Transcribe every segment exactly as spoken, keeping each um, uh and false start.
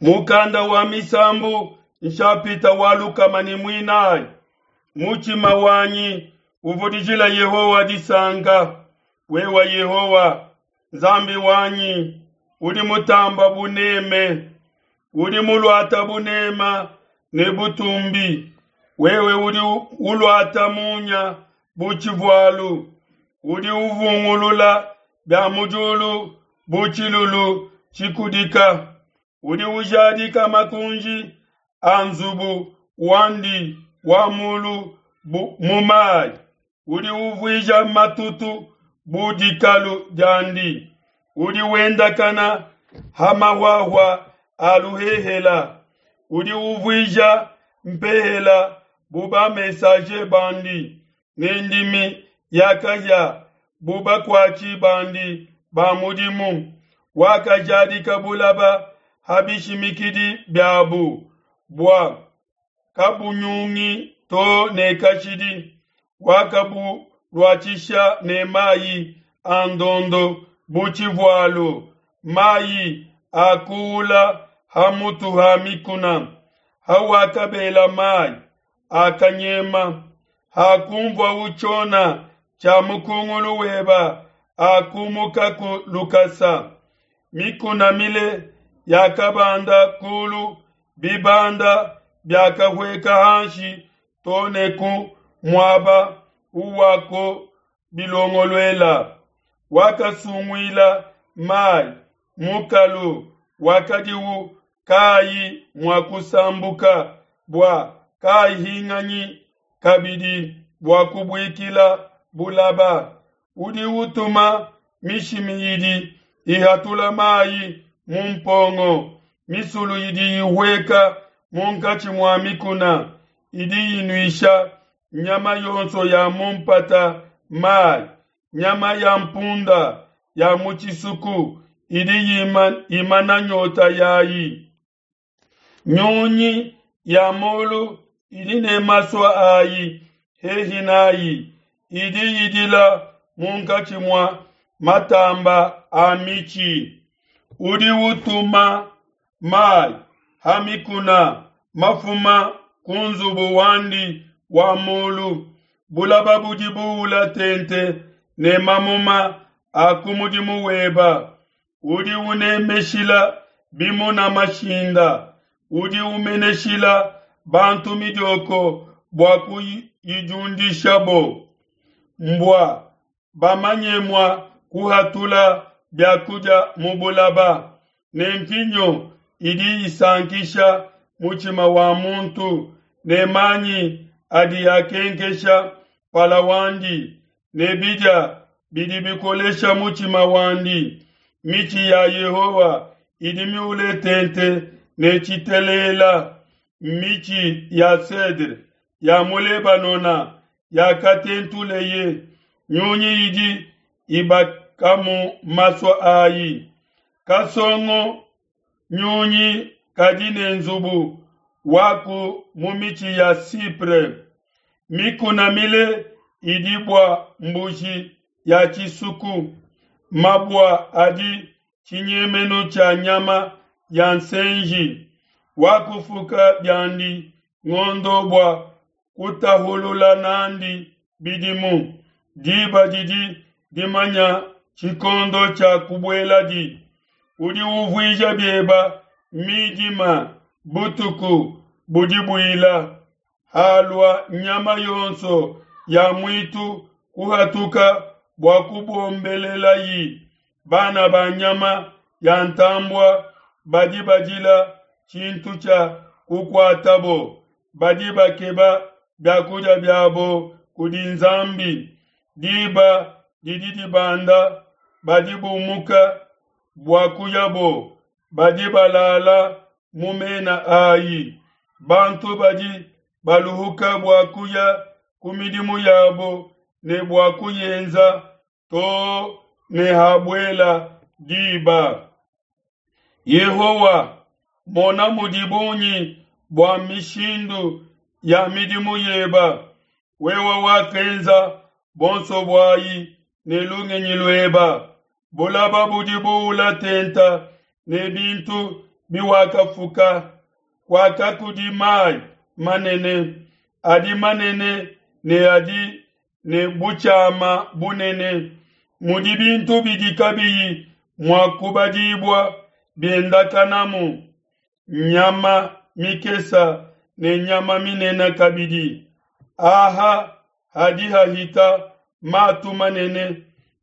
Mukanda wa Misambu nshapita wa lukama ne muinayi. Mutshima wanyi uvudijila Yehowa disanka. Wewe Yehowa Nzambi wanyi udi mutamba buneme, udi muluata bunema ne butumbi. Wewe udi uluata munya bu tshivualu, udi uvungulula bia mu diulu bu tshilulu tshikudika. Udi ujadika makunji a nzubu wandi wa mulu mu mayi, udi uvuija matutu bu dikalu diandi, udi wendakana ha mahuahua a luhehela, udi uvuija mpehela bu ba-messager bandi, ne ndimi ya kahia bu bakuatshi bandi ba mudimu. Wakajadika bulaba ha bishimikidi biabu, bua kabunyungi to ne kashidi. Wakabuluatshisha ne mayi a ndondo bu tshivualu, mayi akuula ha mutu ha mikuna. Hawakabela mayi, akanyema, hakunvuawu tshiona tshia mukungulu weba, akumukaku lukasa. Mikuna mile yakabanda kulu, bibanda biakahueka hanshi to ne ku muaba uwako bilongoluela. Wakasunguila mai mukalu wakadiu kayi mua kusambuka, bua kahinganyi kabidi bua kubuikila bulaba. Udi utuma mishimi idi ihatula mai mu mpongo, misulu idi ihueka munkatshi mua mikuna, idi inuisha nyama yonso ya mu mpata mai. Nyama ya mpunda ya mu tshisuku idi imana nyota yayi. Nyunyi ya mulu idi ne masua ayi hehi nayi, idi idila munkatshi mua matamba a mitshi. Udi utuma mai ha mikuna mafuma ku nzubu wandi wa mulu. Bulaba budi buula tente ne mamuma a ku mudimu weba. Udi unemeshila bimuna mashinda, udi umeneshila bantu midioko bua kuyidiundishabo. Mbua bamanye mua kuhatula biakudia mu bulaba, ne mvinyo idi isankisha mutshima wa muntu, ne manyi adi akenkesha mpala wandi, ne bidia bidi bikolesha mutshima wandi. Mitshi ya Yehowa idi miule tente ne tshitelela, mitshi ya cedre ya mu Lebanona yakatentuleye. Nyunyi idi ibakamu masua ayi. Kasongo nyunyi kadi ne nzubu waku mu mitshi ya Sipre. Mikuna mile idi bua mbuji ya tshisuku, mabua adi tshinyemenu tshia nyama ya nsenji. Wakufuka biandi ngondo bua kutahulula nandi bidimu. Diba didi dimanya tshikondo tshia kubueladi. Udi uvuija bieba midima butuku budi buila. Halua nyama yonso ya muitu kuhatuka bua kubombelelayi. Bana ba nyama ya ntambua badi badila tshintu tshia kukuatabo, badi bakeba biakudia biabo kudi Nzambi. Diba didi dibanda, badi bumuka bua kuyabo, badi balala mu mena ayi. Bantu badi baluhuka bua kuya ku midimu yabo ne bua kuyenza to ne habuela diba. Yehowa, mona mudi bungi bua mishindu ya midimu yeba. Wewe wakenza bonso buayi ne lungenyi lueba. Bulaba budi buula tenta ne bintu biwakafuka. Kuaka kudi mai manene, adi manene ne adi ne butshiama bunene, mudi bintu bidi kabiyi mua kubadibua biendakanamu, nyama mikesa ne nyama minene kabidi. Aha hadi hahita matu manene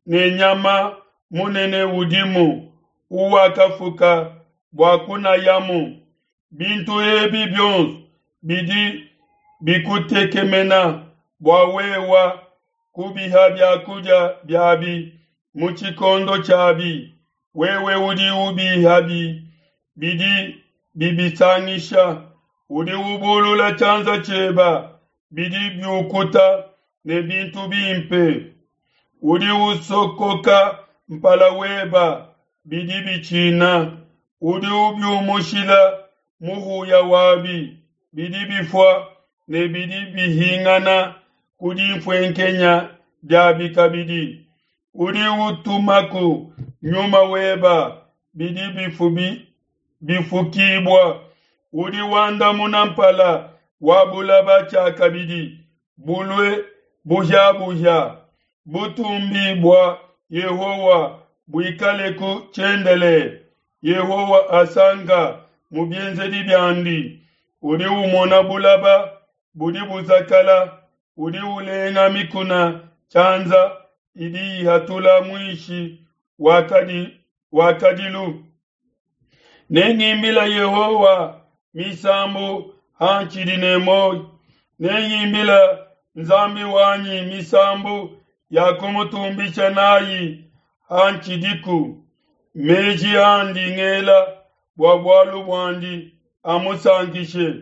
ne nyama munene udimu uwakafuka bua kunayamu. Bintu ebi bionso bidi bikutekemena bua wewa kubiha biakudia biabi mu tshikondo tshiabi. Wewe udi ubihabi bidi bibisangisha, udi ubulula tshianza tshieba bidi biukuta ne bintu bimpe. Udi usokoka mpala weba bidi bitshina, udi ubiumushila muhuya wabi bidi bifua ne bidi bihingana ku dinfuenkenya diabi kabidi. Udi utumaku nyuma weba bidi bifubi bifukibua, udi wandamuna mpala wa bulaba tshiakabidi bulue buhia-buhia. Butumbi bua Yehowa buikaleku tshiendelele. Yehowa asanka mu bienzedi biandi. Udi umona bulaba budi buzakala, udi ulenga mikuna tshianza idi ihatula muishi wa kadilu. Nengimbile Yehowa misambu hantshidi ne muoyo, nengimbile Nzambi wanyi misambu ya kumutumbisha nayi hantshidiku. Meji andi ngela bua bualu buandi amusankishe,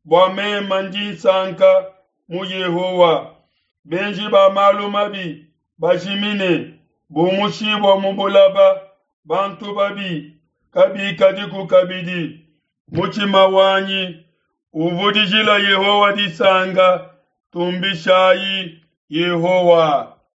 bua mema ndi nsanka mu Yehowa. Benji ba malu mabi bajimine, bumushibua mu bulaba, bantu babi kabikadiku kabidi. Mutshima wanyi uvudijila Yehowa disanka, tumbishayi Yehowa.